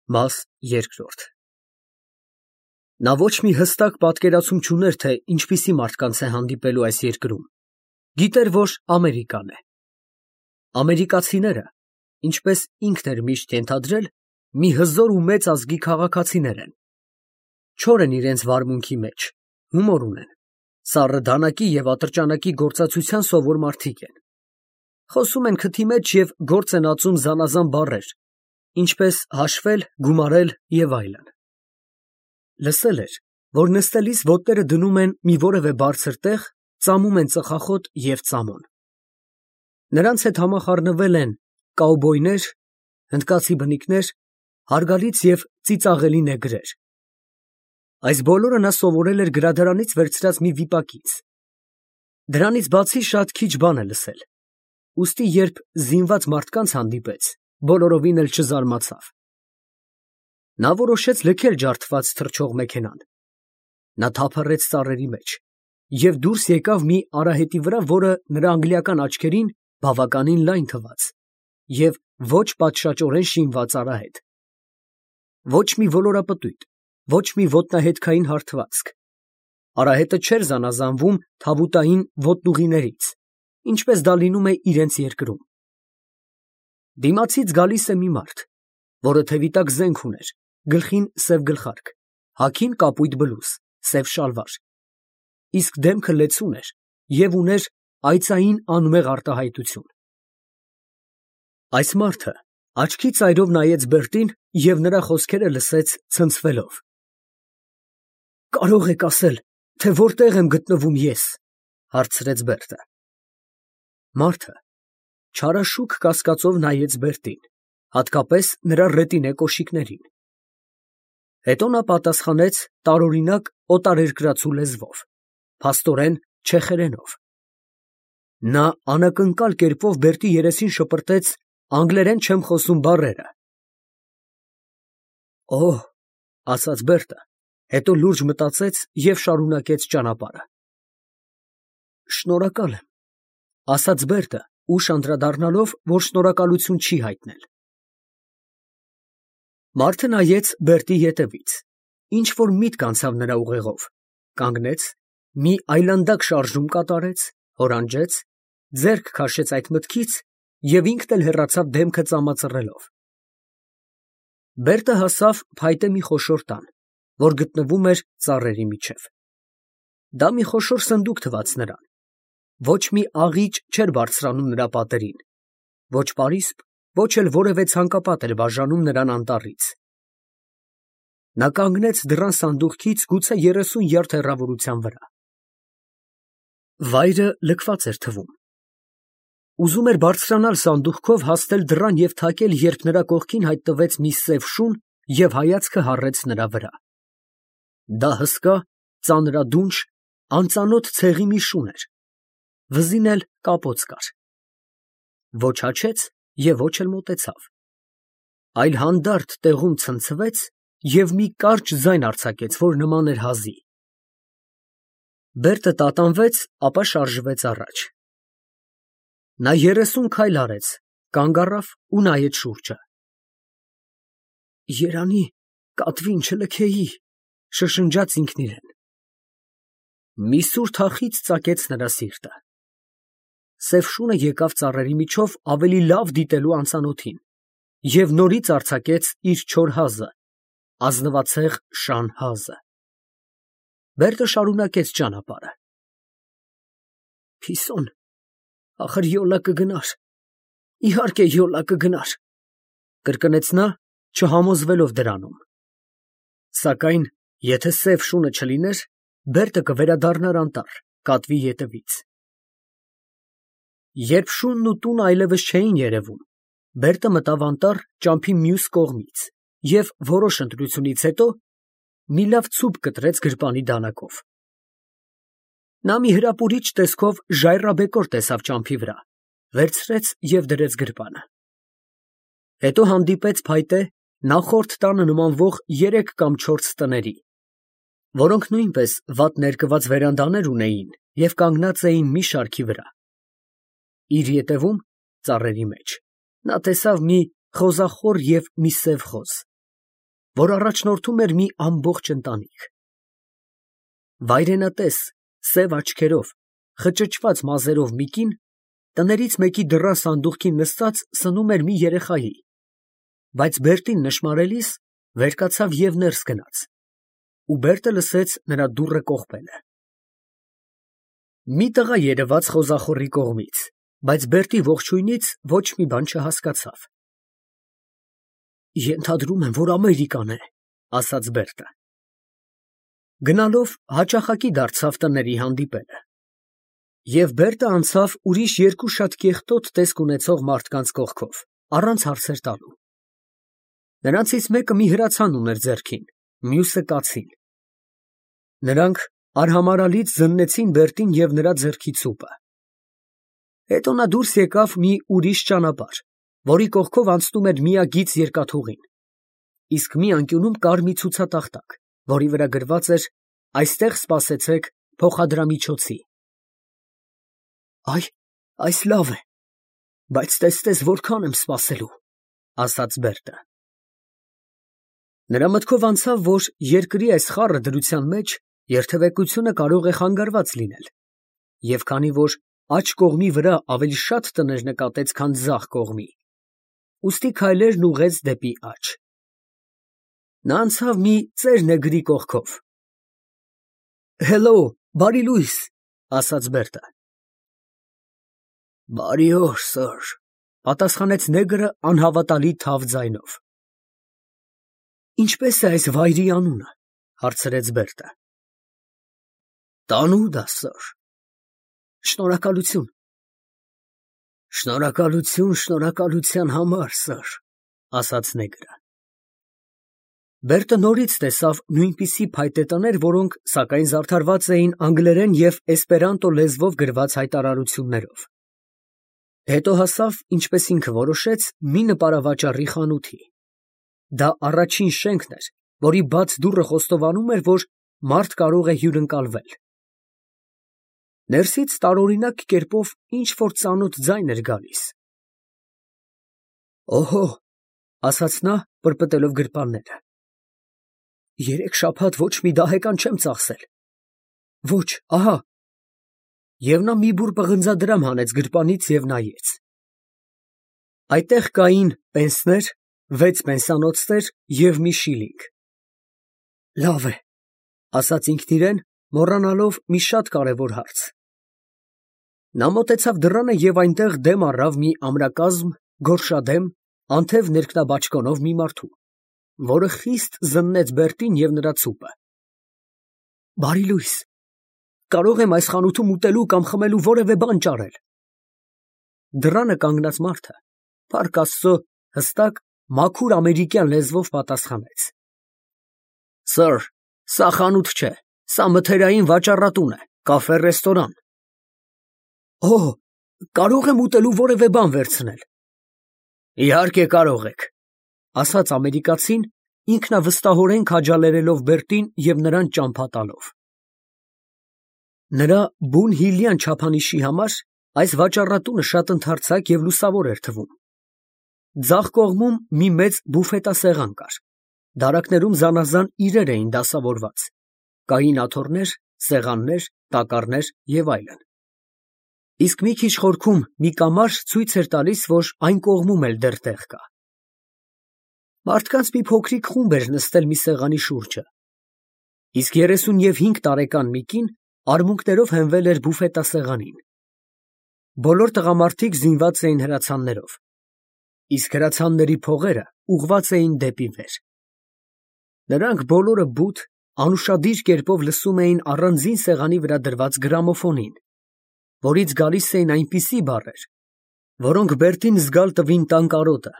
Մաս երկրորդ Նա ոչ մի հստակ պատկերացում չուներ, թե ինչպիսի մարդկանց է հանդիպելու այս երկրում, գիտեր, որ Ամերիկան է։ Ամերիկացիները, ինչպես ինքն էր միշտ ենթադրել, մի հզոր ու մեծ ազգի քաղաքացիներ են, չոր են իրենց վարմունքի մեջ, հումոր ունեն, սառը դանակի և ատրճանակի գործածության սովոր մարդիկ են, խոսում են քթի մեջ և գործ են ածում զանազան բառեր, ինչպես հաշվել, գումարել և այլն։ Լսել էր, որ նստելիս ոտները դնում են մի որևէ բարձր տեղ, ծամում են ծխախոտ և ծամոն։ Նրանց հետ համախառնվել են կաուբոյներ, հնդկացի բնիկներ, հարգալից և ծիծաղելի նեգրեր։ Այս բոլորը նա սովորել էր գրադարանից վերցրած մի վիպակից։ Դրանից բացի շատ քիչ բան է լսել, ուստի երբ զինված մարդկանց հանդիպեց, բոլորովին էլ չզարմացավ։ Նա որոշեց լքել ջարդված թռչող մեքենան։ Նա թափառեց ծառերի մեջ և դուրս եկավ մի արահետի վրա, որը նրա անգլիական աչքերին բավականին լայն թվաց և ոչ պատշաճորեն շինված արահետ։ Ոչ մի ոլորապտույտ, ոչ մի ոտնահետքային հարթվածք։ Արահետը չէր զանազանվում թավուտային ոտնուղիներից, ինչպես դա լինում է իրենց երկրում։ Դիմացից գալիս է մի մարդ, որը թևի տակ զենք ուներ, գլխին սև գլխարկ, հագին կապույտ բլուզ, սև շալվար, իսկ դեմքը լեցուն էր և ուներ այծային անմեղ արտահայտություն։ Այս մարդը աչքի ծայրով նայեց Բերտին և նրա խոսքերը լսեց ցնցվելով։ ֊ Կարո՞ղ եք ասել, թե որտեղ եմ գտնվում ես, ֊ հարցրեց Բերտը։ Մարդը չարաշուք կասկածով նայեց Բերտին, հատկապես նրա ռետինե կոշիկներին։ Հետո նա պատասխանեց տարօրինակ օտարերկրացու լեզվով, փաստորեն չեխերենով։ Նա անակնկալ կերպով Բերտի երեսին շպրտեց անգլերեն չեմ խոսում բառերը։ «Օհ», ասաց Բերտը, հետո լուրջ մտածեց և շարունակեց ճանապարհը։ «Շնորհակալ եմ», ասաց Բերտը, ուշ անդրադառնալով, որ շնորհակալություն չի հայտնել։ Մարդը նայեց Բերտի ետևից, ինչ֊որ միտք անցավ նրա ուղեղով, կանգնեց, մի այլանդակ շարժում կատարեց, հորանջեց, ձեռք քաշեց այդ մտքից և ինքն էլ հեռացավ դեմքը ծամածռելով։ Բերտը հասավ փայտե մի խոշոր տան, որ գտնվում էր ծառերի միջև։ Դա մի խոշոր սնդուկ թվաց նրան, ոչ մի աղիճ չէր բարձրանում նրա պատերին, ոչ պարիսպ, ոչ էլ որևէ ցանկապատ էր բաժանում նրան անտառից։ Նա կանգնեց դռան սանդուղքից գուցե 30 յարդ հեռավորության վրա։ Վայրը լքված էր թվում։ Ուզում էր բարձրանալ սանդուղքով, հասնել դռան և թակել, երբ նրա կողքին հայտնվեց մի սև շուն և հայացքը հառեց նրա վրա։ Դա հսկա, ծանրադունչ, անծանոթ ցեղի մի շուն էր, վզին էլ կապոց կար։ Ոչ հաչեց և ոչ էլ մոտեցավ, այլ հանդարտ տեղում ցնցվեց և մի կարճ ձայն արձակեց, որ նման էր հազի։ Բերտը տատանվեց, ապա շարժվեց առաջ։ Նա 30 քայլ արեց, կանգ առավ ու նայեց շուրջը։ «Երանի կատվին չլքեի», շշնջաց ինքն իրեն։ Մի սուր թախիծ ծակեց նրա սիրտը։ Սև շունը եկավ ծառերի միջով ավելի լավ դիտելու անծանոթին և նորից արձակեց իր չոր հազը, ազնվացեղ շան հազը։ Բերտը շարունակեց ճանապարհը։ «Փիսոն, ախր յոլա կգնար, իհարկե յոլա կգնար», կրկնեց նա, չհամոզվելով դրանում։ Սակայն եթե սև շունը չլիներ, Բերտը կվերադառնար անտառ, կատվի ետևից։ Երբ շունն ու տունը այլևս չէին երևում, Բերտը մտավ անտառ ճամփի մյուս կողմից և որոշ ընտրությունից հետո մի լավ ցուպ կտրեց գրպանի դանակով։ Նա մի հրապուրիչ տեսքով ժայռաբեկոր տեսավ ճամփի վրա, վերցրեց և դրեց գրպանը։ Հետո հանդիպեց փայտե, նախորդ տանը նմանվող 3 կամ 4 տների, որոնք նույնպես վատ ներկված վերանդաներ ունեին և կանգնած էին մի շարքի վրա։ Իր ետևում, ծառերի մեջ, նա տեսավ մի խոզախոր և մի սև խոզ։ որ առաջնորդում էր մի ամբողջ ընտանիք։ Վայրենատես, սև աչքերով, խճճված մազերով մի կին տներից մեկի դռան սանդուղքին նստած սնում էր մի երեխայի, բայց Բերտին նշմարելիս վեր կացավ և ներս գնաց, ու Բերտը լսեց նրա դուռը կողպելը։ Մի տղա երևաց խոզախորի կողմից, բայց Բերտի ողջույնից ոչ մի բան չհասկացավ։ «Ենթադրում եմ, որ Ամերիկան է», ասաց Բերտը։ Գնալով հաճախակի դարձավ տների հանդիպելը։ Եվ Բերտը անցավ ուրիշ երկու շատ կեղտոտ տեսք ունեցող մարդկանց կողքով, առանց հարցեր տալու։ Նրանցից մեկը մի հրացան ուներ ձեռքին, մյուսը կացին։ Նրանք արհամարհալից զննեցին Բերտին և նրա ձեռքի ցուպը։ Հետո նա դուրս եկավ մի ուրիշ ճանապարհ, որի կողքով անցնում էր միագիծ երկաթուղին, իսկ մի անկյունում կար մի ցուցատախտակ, որի վրա գրված էր. «Այստեղ սպասեցեք փոխադրամիջոցի»։ Այս լավ է, բայց տես որքան եմ սպասելու, ասաց Բերտը։ Նրա մտքով անցավ, որ երկրի այս խառը դրության մեջ երթևեկությունը կարող է խանգարված լինել, և քանի որ աջ կողմի վրա ավելի շատ տներ նկատեց, քան ձախ կողմի, ուստի քայլերն ուղղեց դեպի աջ։ Նա անցավ մի ծեր նեգրի կողքով։ «Հելո, բարի լույս», ասաց Բերտը։ «Բարի օր, սըր», պատասխանեց նեգրը անհավատալի թավ ձայնով։ «Ինչպես է այս վայրի անունը», հարցրեց Բերտը։ «Տանուդա, սըր»։ «Շնորհակալություն»։ «Շնորհակալության համար, սըր», ասաց նեգրը։ Բերտը նորից տեսավ նույնպիսի փայտե տներ, որոնք, սակայն, զարդարված էին անգլերեն և էսպերանտո լեզվով գրված հայտարարություններով։ Հետո հասավ, ինչպես ինքը որոշեց, մի նպարավաճառի խանութի։ Դա առաջին շենքն էր, որի բաց դուռը խոստովանում էր, որ մարդ կարող է հյուրընկալվել։ Ներսից տարօրինակ կերպով ինչ֊որ ծանոթ ձայն էր գալիս։ «Օհո», ասաց նա, պրպտելով գրպանները, «երեք շաբաթ ոչ մի դահեկան չեմ ծախսել։ Ոչ, ահա»։ Եվ նա մի բուռ պղնձադրամ հանեց գրպանից և նայեց։ Այդտեղ կային պենսներ, 6 պենսանոցներ և մի շիլինգ։ «Լավ է», ասաց ինքն իրեն, մոռանալով մի շատ կարևոր հարց։ Նա մոտեցավ դռանը և այնտեղ դեմ առավ մի ամրակազմ, գորշադեմ, անթև ներքնաբաճկոնով մի մարդու, որը խիստ զննեց Բերտին և նրա ցուպը։ «Բարի լույս, կարող եմ այս խանութում ուտելու կամ խմելու որևէ բան ճարել»։ Դռանը կանգնած մարդը, փառք Աստծո, հստակ, մաքուր ամերիկյան լեզվով պատասխանեց. «Սըր, սա խանութ չէ, սա մթերային վաճառատուն է, կաֆե֊ռեստորան»։ «Օհ, կարող եմ ուտելու որևէ բան վերցնել»։ «Իհարկե կարող եք», ասաց ամերիկացին, ինքնավստահորեն քաջալերելով Բերտին և նրան ճամփա տալով։ Նրա բուն֊հիլյան չափանիշի համար այս վաճառատունը շատ ընդարձակ և լուսավոր էր թվում։ Ձախ կողմում մի մեծ բուֆետասեղան կար, դարակներում զանազան իրեր էին դասավորված, կային աթոռներ, սեղաններ, տակառներ և այլն։ Իսկ մի քիչ խորքում մի կամար ցույց էր տալիս, որ այն կողմում էլ դեռ տեղ կա։ Մարդկանց մի փոքրիկ խումբ էր նստել մի սեղանի շուրջը, իսկ 35 տարեկան մի կին արմունկներով հենվել էր բուֆետասեղանին։ Բոլոր տղամարդիկ զինված էին հրացաններով, իսկ հրացանների փողերը ուղղված էին դեպի վեր։ Նրանք բոլորը բութ, անուշադիր կերպով լսում էին առանձին սեղանի վրա դրված գրամոֆոնին, որից գալիս էին այնպիսի բառեր, որոնք Բերտին զգալ տվին տան կարոտը,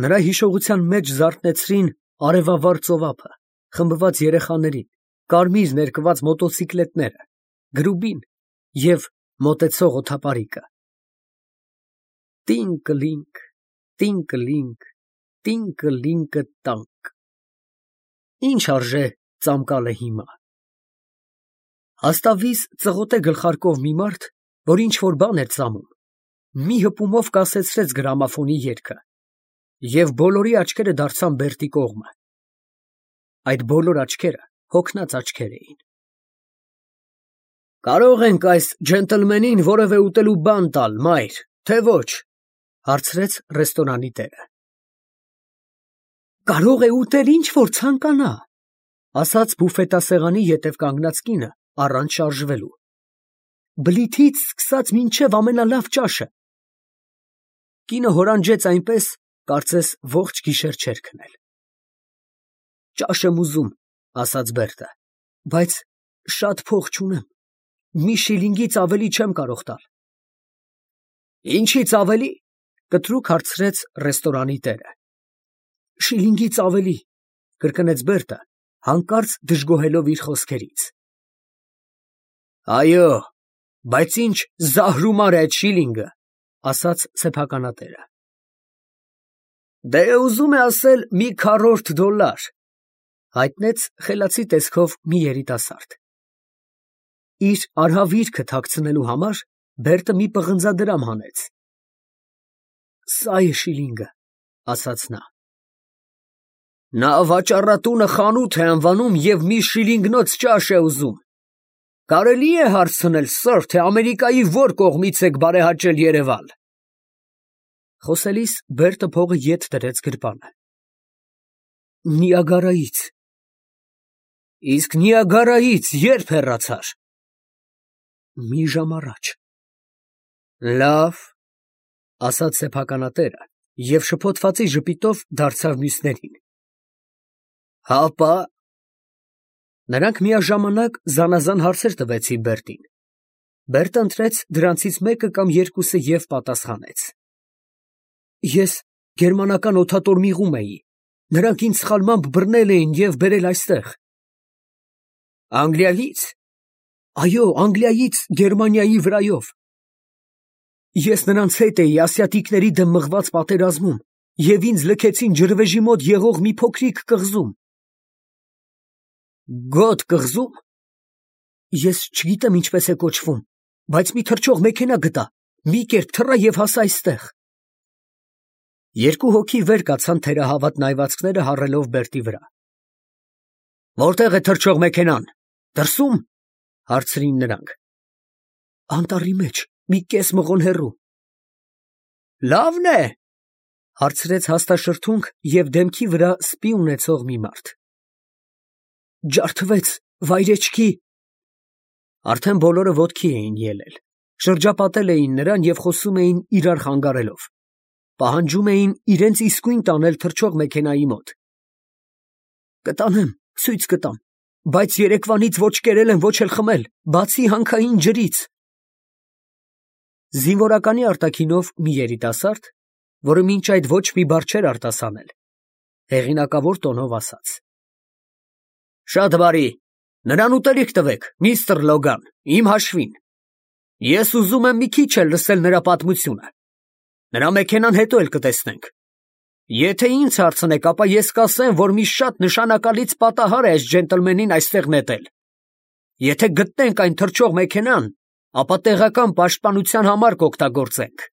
նրա հիշողության մեջ զարթնեցրին արևավառ ծովափը, խմբված երեխաներին, կարմիր ներկված մոտոցիկլետները, գրուբին և մոտեցող օդապարիկը։ Տինկլինկ, տինկլինկ, տինկլինկը տանկ։ Ինչ արժե ծամկալը հիմա։ Հաստավից ծղոտե գլխարկով մի մարդ, որ ինչ-որ բան էր ծամում, մի հպումով կասեցրեց գրամոֆոնի երգը, և բոլորի աչքերը դարձան Բերտի կողմը։ Այդ բոլոր աչքերը հոգնած աչքեր էին։ Կարող ենք այս ջենտլմենին որևէ ուտելու բան տալ, մայր, թե ոչ, հարցրեց ռեստորանի տերը։ Կարող է ուտել ինչ որ ցանկանա, ասաց բուֆետասեղանի ետև կանգնած կինը առանց շարժվելու։ Բլիթից սկսած մինչև ամենալավ ճաշը։ Կինը հորանջեց այնպես, կարծես ողջ գիշեր չէր քնել։ Ճաշ եմ ուզում, ասաց Բերտը, բայց շատ փող չունեմ, մի շիլինգից ավելի չեմ կարող տալ։ Ինչից ավելի, կտրուկ հարցրեց ռեստորանի տերը։ Շիլինգից ավելի, կրկնեց Բերտը, հանկարծ դժգոհելով իր խոսքերից։ Այո, բայց ինչ զահրումար է այդ շիլինգը, ասաց սեփականատերը։ Դե ուզում է ասել մի $100, հայտնեց խելացի տեսքով մի երիտասարդ։ Իր արհավիրքը թաքցնելու համար Բերտը մի պղնձադրամ հանեց։ Սա է շիլինգը, ասաց նա։ Նա վաճառատունը խանութ է անվանում և մի շիլինգնոց ճաշ է ուզում։ Կարելի է հարցնել, սըր, թե Ամերիկայի որ կողմից եք բարեհաճել Երևան։ Խոսելիս Բերտը փողը ետ դրեց գրպանը։ Նիագարայից։ Իսկ Նիագարայից երբ հեռացար։ Մի ժամ առաջ։ Լավ, ասաց սեփականատերը և շփոթվածի ժպիտով դարձավ մյուսներին։ Հապա։ Նրանք միաժամանակ զանազան հարցեր տվեցին Բերտին։ Բերտը ընտրեց դրանցից մեկը կամ երկուսը և պատասխանեց։ Ես գերմանական օդատոր միղում էի, նրանք ինձ սխալմամբ բռնել էին և բերել այստեղ։ Անգլիայից։ Այո, Անգլիայից Գերմանիայի վրայով։ Ես նրանց հետ էի ասիատիկների դեմ մղված պատերազմում և ինձ լքեցին ջրվեժի մոտ եղող մի փոքրիկ կղզում։ Գոտ կղզու՞մ։ Ես չգիտեմ ինչպես է կոչվում, բայց մի թռչող մեքենա գտա, մի կերպ թռա և հասա այստեղ։ Երկու հոգի վեր կացան թերահավատ նայվածքները հառելով Բերտի վրա։ Որտե՞ղ է թռչող մեքենան, դրսո՞ւմ, հարցրին նրանք։ Անտառի մեջ, մի կես մղոն հեռու։ Լավն է, հարցրեց հաստաշրթունք և դեմքի վրա սպի ունեցող մի մարդ։ Ջարդվեց, վայրեջքի։ Արդեն բոլորը ոտքի էին ելել, շրջապատել էին նրան և խոսում էին իրար խանգարելով, պահանջում էին իրենց իսկույն տանել թռչող մեքենայի մոտ։ Կտանեմ, ցույց կտամ, բայց երեկվանից ոչ կերել եմ, ոչ էլ խմել, բացի հանքային ջրից։ Զինվորականի արտաքինով մի երիտասարդ, որը մինչ այդ ոչ մի բառ չէր արտասանել, հեղինակավոր տոնով ասաց. Շատ բարի, նրան ուտելիք տվեք, միստր Լոգան, իմ հաշվին։ Ես ուզում եմ մի քիչ էլ լսել նրա պատմությունը։ Նրա մեքենան հետո էլ կտեսնենք։ Եթե ինձ հարցնեք, ապա ես կասեմ, որ մի շատ նշանակալից պատահար է այս ջենտլմենին այստեղ նետել։ Եթե գտնենք այն թռչող մեքենան, ապա տեղական պաշտպանության համար կօգտագործենք։